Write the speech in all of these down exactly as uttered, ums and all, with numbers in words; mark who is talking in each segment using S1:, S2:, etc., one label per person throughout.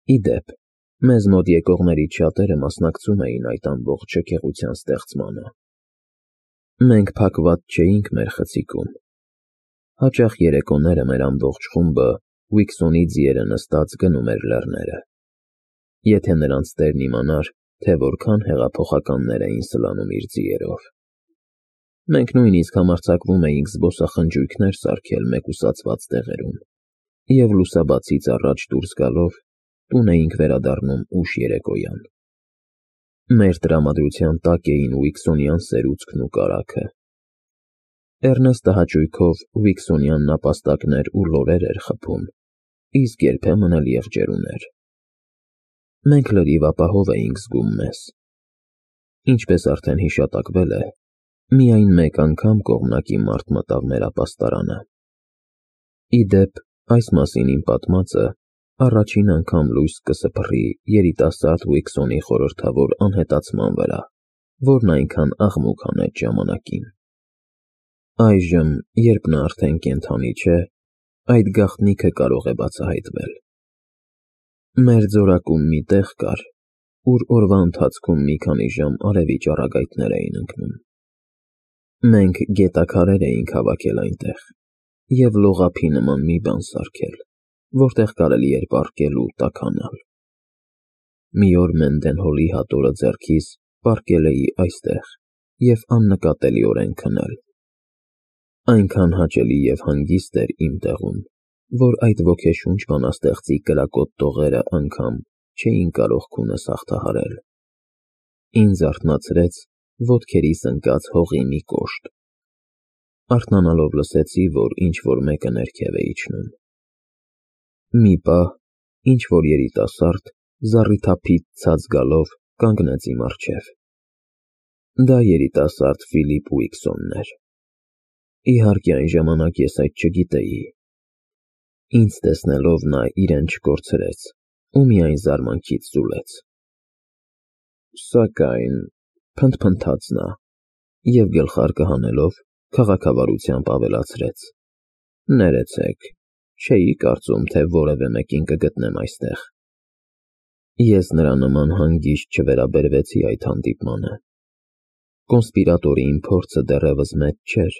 S1: Ի դեպ, մեզ մոտ եկողներից շատերը մասնակցում էին այդ ամբողջ շքեղության ստեղծմանը։ Մենք փակված չէինք մեր խցիկում։ Հաճախ երեկոները մեր ամբողջ խումբը Ուիքսոնի ձիերը նստած գնում էր լեռները։ Եթե նրանց տերն իմանար, թե որքան հեղափոխականներ էին սլանում իր ձիերով։ Մենք նույնիսկ համարձակվում էինք զբոսախնջույքներ սարքել մեկուսացված տեղերում և լուսաբացից առաջ դուրս գալով տուն էինք վերադառնում ուշ երեկոյան։ Մեր տրամադրության տակ էին ուիքսոնյան սերուցքն ու կարագը։ Էռնեստը հաճույքով ուիքսոնյան նապաստակներ ու լորեր էր խփում, իսկ երբեմն էլ եղջերուներ։ Մենք լրիվ ապահով էինք զգում մեզ։ Ինչպես արդեն հիշատակվել է, միայն մեկ անգամ կողմնակի մարդ մտավ մեր ապաստարանը։ Ի դեպ, այս մասին իմ պատմածը առաջին անգամ լույս կսփռի երիտասարդ Ուիքսոնի խորհրդավոր անհետացման վրա, որն այնքան աղմուկ հանեց ժամանակին։ Այժմ, երբ նա արդեն կենդանի չէ, այդ գաղտնիքը կարող է բացահայտվել։ Մեր ձորակում մի տեղ կար, ուր օրվա ընթացքում մի քանի ժամ արևի ճառագայթներ էին ընկնում։ Մենք գետաքարեր էինք հավաքել այնտեղ և լողափի նման մի բան սարքել, որտեղ կարելի էր պառկել ու տաքանալ։ Մի օր Մենդենհոլի հատորը ձեռքիս պառկել էի այստեղ և աննկատելիորեն քնել։ Այնքան հաճելի և հանգիստ էր իմ տեղում, որ այդ ոգեշունչ բանաստեղծի կրակոտ տողերը անգամ չէին կարող քունս հաղթահարել։ Ինձ արթնացրեց ոտքերիս ընկած հողի մի կոշտ։ Արթնանալով լսեցի, որ ինչ-որ մեկը ներքև է իջնում։ Մի պահ ինչ-որ երիտասարդ զառիթափից ցած գալով կանգնեց իմ առջև։ Դա երիտասարդ Ֆիլիպ Ուիքսոնն էր։ Իհարկե, այն ժամանակ ես այդ չգիտեի։ Ինձ տեսնելով նա իրեն չկորցրեց ու միայն զարմանքից զուլեց։ Սակայն, փնթփնթաց նա և գլխարկը հանելով քաղաքավարությամբ ավելացրեց. Ներեցեք, չէի կարծում, թե որևէ մեկին կգտնեմ այստեղ։ Ես նրա նման հանգիստ չվերաբերվեցի այդ հանդիպմանը։ Կոնսպիրատորի իմ փորձը դեռևս մեծ չէր,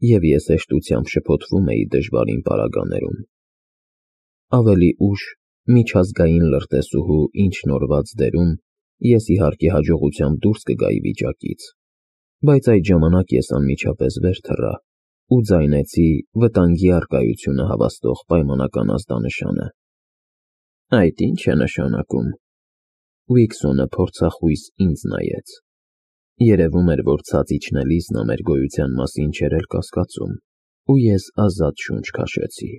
S1: և ես հեշտությամբ շփոթվում էի դժվարին պարագաներում։ Ավելի ուշ, միջազգային լրտեսուհու ինչ նորված դերում, ես իհարկե հաջողությամբ դուրս կգայի վիճակից, բայց այդ ժամանակ ես անմիջապես վեր թռա ու ձայնեցի վտանգի առկայությունը հավաստող պայմանական ազդանշանը։ Այդ ի՞նչ է նշանակում։ Ուիքսոնը փորձախույս ինձ նայեց։ Երևում էր, որ ցած իջնելիս նա մեր գոյության մասին չէր էլ կասկածում, ու ես ազատ շունչ քաշեցի։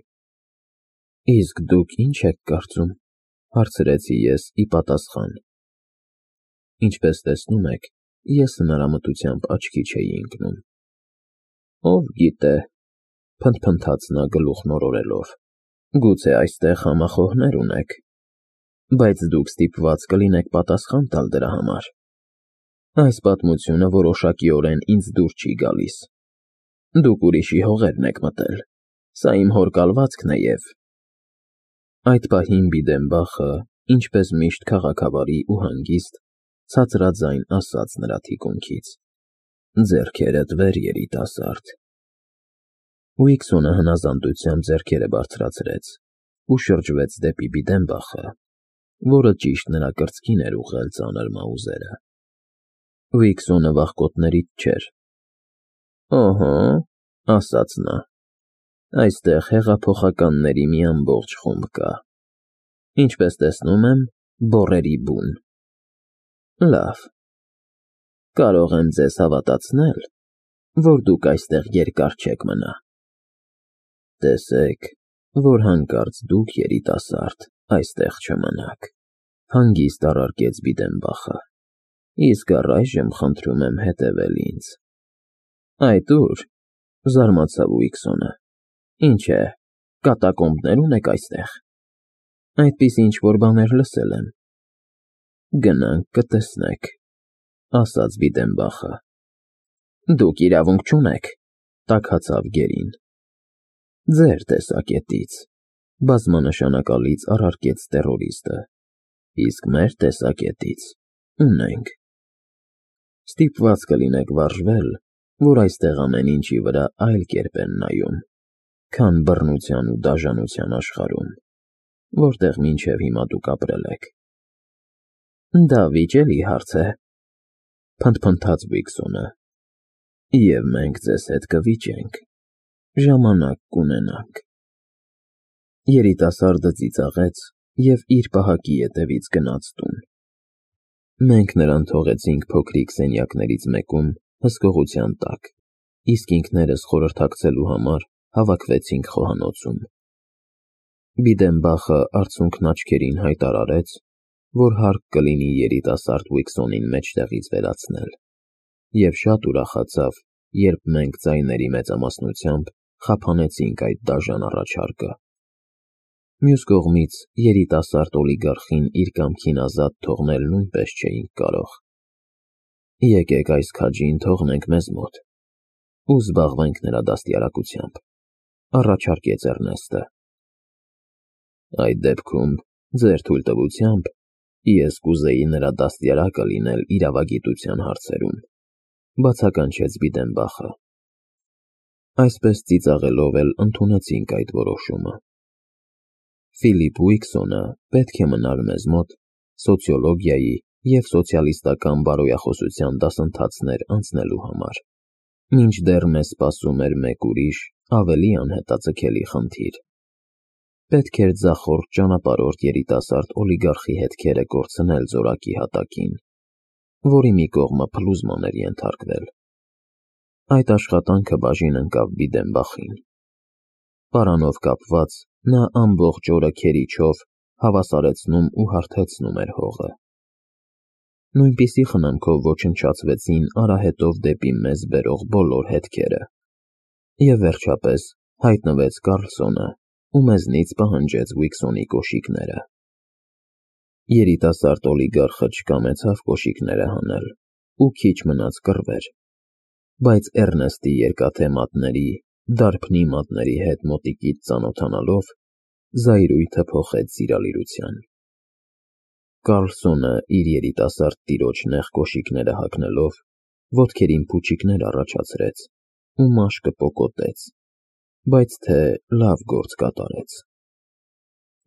S1: Իսկ դուք ի՞նչ եք կարծում, հարցրեցի ես ի պատասխան։ Ինչպես տեսնում եք, ես հնարամտությամբ աչքի չէի ընկնում։ Ով գիտե, փնթփնթաց նա գլուխ մորորելով, գուցե այստեղ համախոհներ ունեք, բայց դուք ստիպված կլինեք պատասխան տալ դրա համար։ Այս պատմությունը որոշակիորեն ինձ դուր չի գալիս։ Դուք ուրիշի հողերն եք մտել, սա իմ հոր կալվածքն է և… Այդ պահին Բիդենբախը, ինչպես միշտ քաղաքավարի ու հանգիստ, ցածրաձայն ասաց նրա թիկունքից. Ձեռքերդ վեր, երիտասարդ։ Ուիքսոնը հնազանդությամբ ձեռքերը բարձրացրեց ու շրջվեց դեպի Բիդենբախը, որը ճիշտ նրա կրծքին էր ուղղել ծանր մաուզերը։ Ուիքսոնը վախկոտներից չէր։ Օհո, ասաց նա, այստեղ հեղափոխականների մի ամբողջ խումբ կա։ Ինչպես տեսնում եմ, բոռերի բուն։ Լավ։ Կարող եմ ձեզ հավատացնել, որ դուք այստեղ երկար չեք մնա։ Տեսեք, որ հանկարծ դուք, երիտասարդ, այստեղ չմնաք, հանգիստ առարկեց Բիդենբախը, իսկ առայժմ խնդրում եմ հետևել ինձ։ Այդ ո՞ւր, զարմացավ Ուիքսոնը, ինչ է, կատակոմբներ ունեք այստեղ։ Այդպես ինչ-որ բաներ լսել եմ։ Գնանք կտեսնեք, ասաց Բիդենբախը։ Դուք իրավունք չունեք, տաքացավ գերին։ Ձեր տեսակետից, բազմանշանակալից առարկեց տերորիստը, իսկ մեր տեսակետից ունենք։ Ստիպված կլինեք վարժվել, որ այստեղ ամեն ինչի վրա այլ կերպ են նայում, քան բռնության ու դաժանության աշխարհում, որտեղ մինչև հիմա դուք ապրել եք։ Դա վիճելի հարց է, փնթփնթաց Վիլսոնը, և մենք ձեզ հետ կվիճենք, ժամանակ կունենանք։ Երիտասարդը ծիծաղեց և իր պահակի ետևից գնաց տուն։ Մենք նրան թողեցինք փոքրիկ սենյակներից մեկում հսկողության տակ, իսկ ինքներս խորհրդակցելու համար հավաքվեցինք խոհանոցում։ Բիդենբախը արցունքն աչքերին հայտարարեց, որ հարկ կլինի երիտասարդ Վիլսոնին մեջտեղից վերացնել, և շատ ուրախացավ, երբ մենք ձայների մեծամասնությամբ խափանեցինք այդ դաժան առաջարկը։ Մյուս կողմից, երիտասարդ օլիգարխին իր կամքին ազատ թողնել նույնպես չէինք կարող։ Եկեք այս քաջին թողնենք մեզ մոտ ու զբաղվենք նրա դաստիարակությամբ, առաջարկեց Էռնեստը։ Այդ դեպքում, ձեր թույլտվությամբ, ես կուզեի նրա դաստիարակը լինել իրավագիտության հարցերում, բացականչեց Բիդենբախը։ Այսպես ծիծաղելով էլ ընդունեցինք այդ որոշումը։ Ֆիլիպ Վիլսոնը պետք է մնար մեզ մոտ սոցիոլոգիայի և սոցիալիստական բարոյախոսության դասընթացներ անցնելու համար, մինչդեռ մեզ սպասում էր մեկ ուրիշ, ավելի անհետաձգելի խնդիր։ Պետք էր ձախորդ ճանապարհորդ երիտասարդ օլիգարխի հետքերը կորցնել զորակի հատակին, որի մի կողմը փլուզման էր ենթարկվել։ Այդ աշխատանքը բաժին ընկավ Բիդենբախին։ Պարանով կապված, նա ամբողջ օրը քերիչով հավասարեցնում ու հարթեցնում էր հողը։ Նույնպիսի խնամքով ոչնչացվեցին արահետով դեպի մեզ բերող բոլոր հետքերը։ Եվ վերջապես հայտնվեց Կարլսոնը ու մեզնից պահանջեց Վիլսոնի կոշիկները։ Երիտասարդ օլիգարխը չկամեցավ կոշիկները հանել ու քիչ մնաց կռվեր, բայց Էռնեստի երկաթե մատների, դարբնի մատների հետ մոտիկից ծանոթանալով, զայրույթը փոխեց սիրալիրության։ Կարլսոնը իր երիտասարդ տիրոջ նեղ կոշիկները հագնելով, ոտքերին փուչիկներ առաջացրեց ու մաշկը պոկոտեց, բայց թե լավ գործ կատարեց։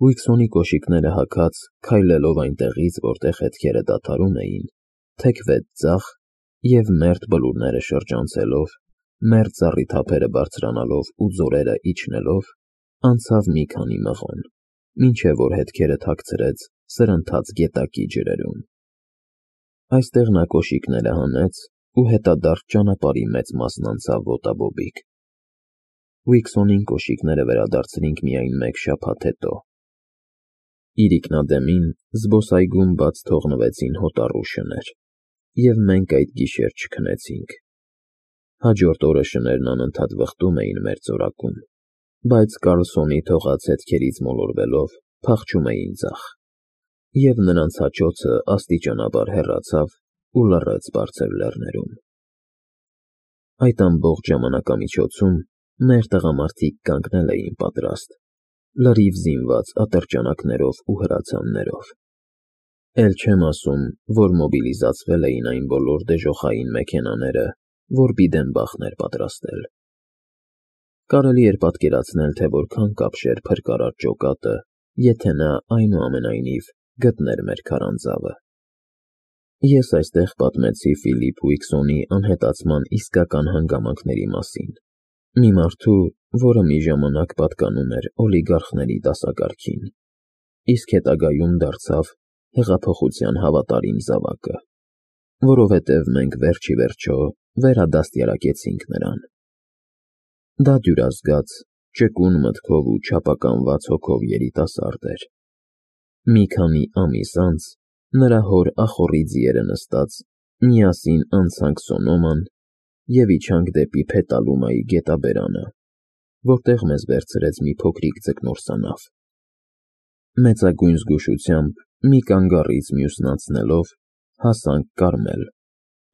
S1: Վիլսոնի կոշիկները հագած, քայլելով այնտեղից, որտեղ հետքերը դադարում էին, թեքվեց ձախ և մերթ բլուրները շրջանցելով, մերթ զառիթափերը բարձրանալով ու ձորերը իջնելով, անցավ մի քանի մղոն, մինչև որ հետքերը թաքցրեց սրընթաց գետակի ջրերում։ Այստեղ նա կոշիկները հանեց ու հետադարձ ճանապարհի մեծ մասն անցավ ոտաբոբիկ։ Վիլսոնին կոշիկները վերադարձրինք միայն մեկ շաբաթ հետո։ Իրիկնադեմին զբոսայգում բաց թողնվեցին հոտառու շներ, և մենք այդ գիշեր չքնեցինք։ Հաջորդ օրը շներն անընդհատ վխտում էին մեր ծորակում, բայց Կարլսոնի թողած հետքերից մոլորվելով փախչում էին ձախ, և նրանց հաճոցը աստիճանաբար հեռացավ ու լռեց բարձր լեռներում։ Այդ ամբողջ ժամանակամիջոցում մեր տղամարդիկ կանգնել էին պատրաստ, լրիվ զինված ատրճանակներով ու հրացաններով։ Էլ չեմ ասում, որ մոբիլիզացվել էին այն բոլոր դժոխային մեքենաները, որ Բիդենբախն էր պատրաստել։ Կարելի էր պատկերացնել, թե որքան կապշեր փրկարար ջոկատը, եթե նա, այնուամենայնիվ, գտներ մեր քարանձավը։ Ես այստեղ պատմեցի Ֆիլիպ Վիլսոնի անհետացման իսկական հանգամանքների մասին, մի մարդու, որը մի ժամանակ պատկանում էր օլիգարխների դասակարգին, իսկ հետագայում դարձավ հեղափոխության հավատարիմ զավակը, որովհետև մենք վերջ ի վերջո վերադաստիարակեցինք նրան։ Դա դյուրազգաց, ճկուն մտքով ու չափականված հոգով երիտասարդ էր։ Մի քանի ամիս անց նրա հոր ախոռի ձիերը նստած միասին անցանք Սոնոման և իջանք դեպի Փետալումայի գետաբերանը, որտեղ մեզ վերցրեց մի փոքրիկ ձկնորսանավ։ Մեծագույն զգուշությամբ, մի կանգառից մյուսն անցնելով, հասանք Կարմել,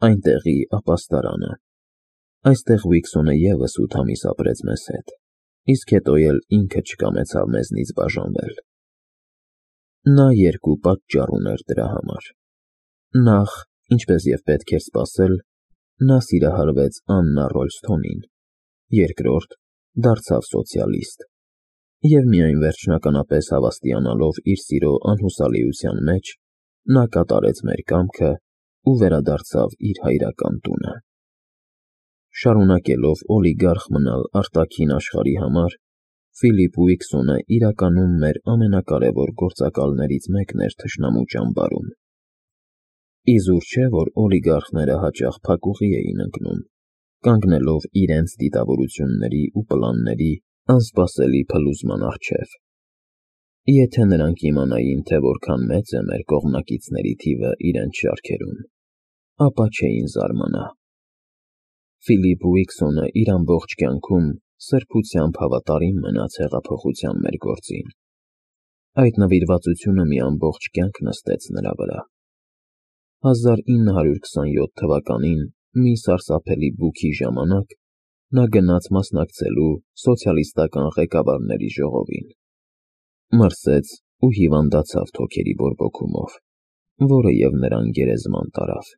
S1: այնտեղի ապաստարանը։ Այստեղ Վիլսոնը ևս ութ ամիս ապրեց մեզ հետ, իսկ հետո էլ ինքը չկամեցավ մեզնից բաժանվել։ Նա երկու պատճառ ուներ դրա համար. Նախ, ինչպես և պետք էր սպասել, նա սիրահարվեց Աննա Ռոլսթոնին, երկրորդ, դարձավ սոցիալիստ, և միայն վերջնականապես հավաստիանալով իր սիրո անհուսալիության մեջ, նա կատարեց մեր կամքը ու վերադարձավ իր հայրական տունը։ Շարունակելով օլիգարխ մնալ արտաքին աշխարհի համար, Ֆիլիպ Ուիքսոնը իրականում մեր ամենակարևոր գործակալներից մեկն էր թշնամու ճամբարում։ Իզուր չէ, որ օլիգարխները հաճախ փակուղի էին ընկնում, կանգնելով իրենց դիտավորությունների ու պլանների անսպասելի փլուզման առջև։ Եթե նրանք իմանային, թե որքան մեծ է մեր կողմնակիցների թիվը իրենց շարքերում, ապա չէին զարմանա։ Ֆիլիպ Ուիքսոնը իր ամբողջ կյանքում սրբությամբ հավատարիմ մնաց հեղափոխության մեր գործին։ Այդ նվիրվածությունը մի ամբողջ կյանք նստեց նրա վրա։ հազար ինը հարյուր քսանյոթ թվականին մի սարսափելի բուքի ժամանակ նա գնաց մասնակցելու սոցիալիստական ղեկավարների ժողովին։ Մրսեց ու հիվանդացավ թոքերի բորբոքումով, որը և նրան գերեզման տարավ։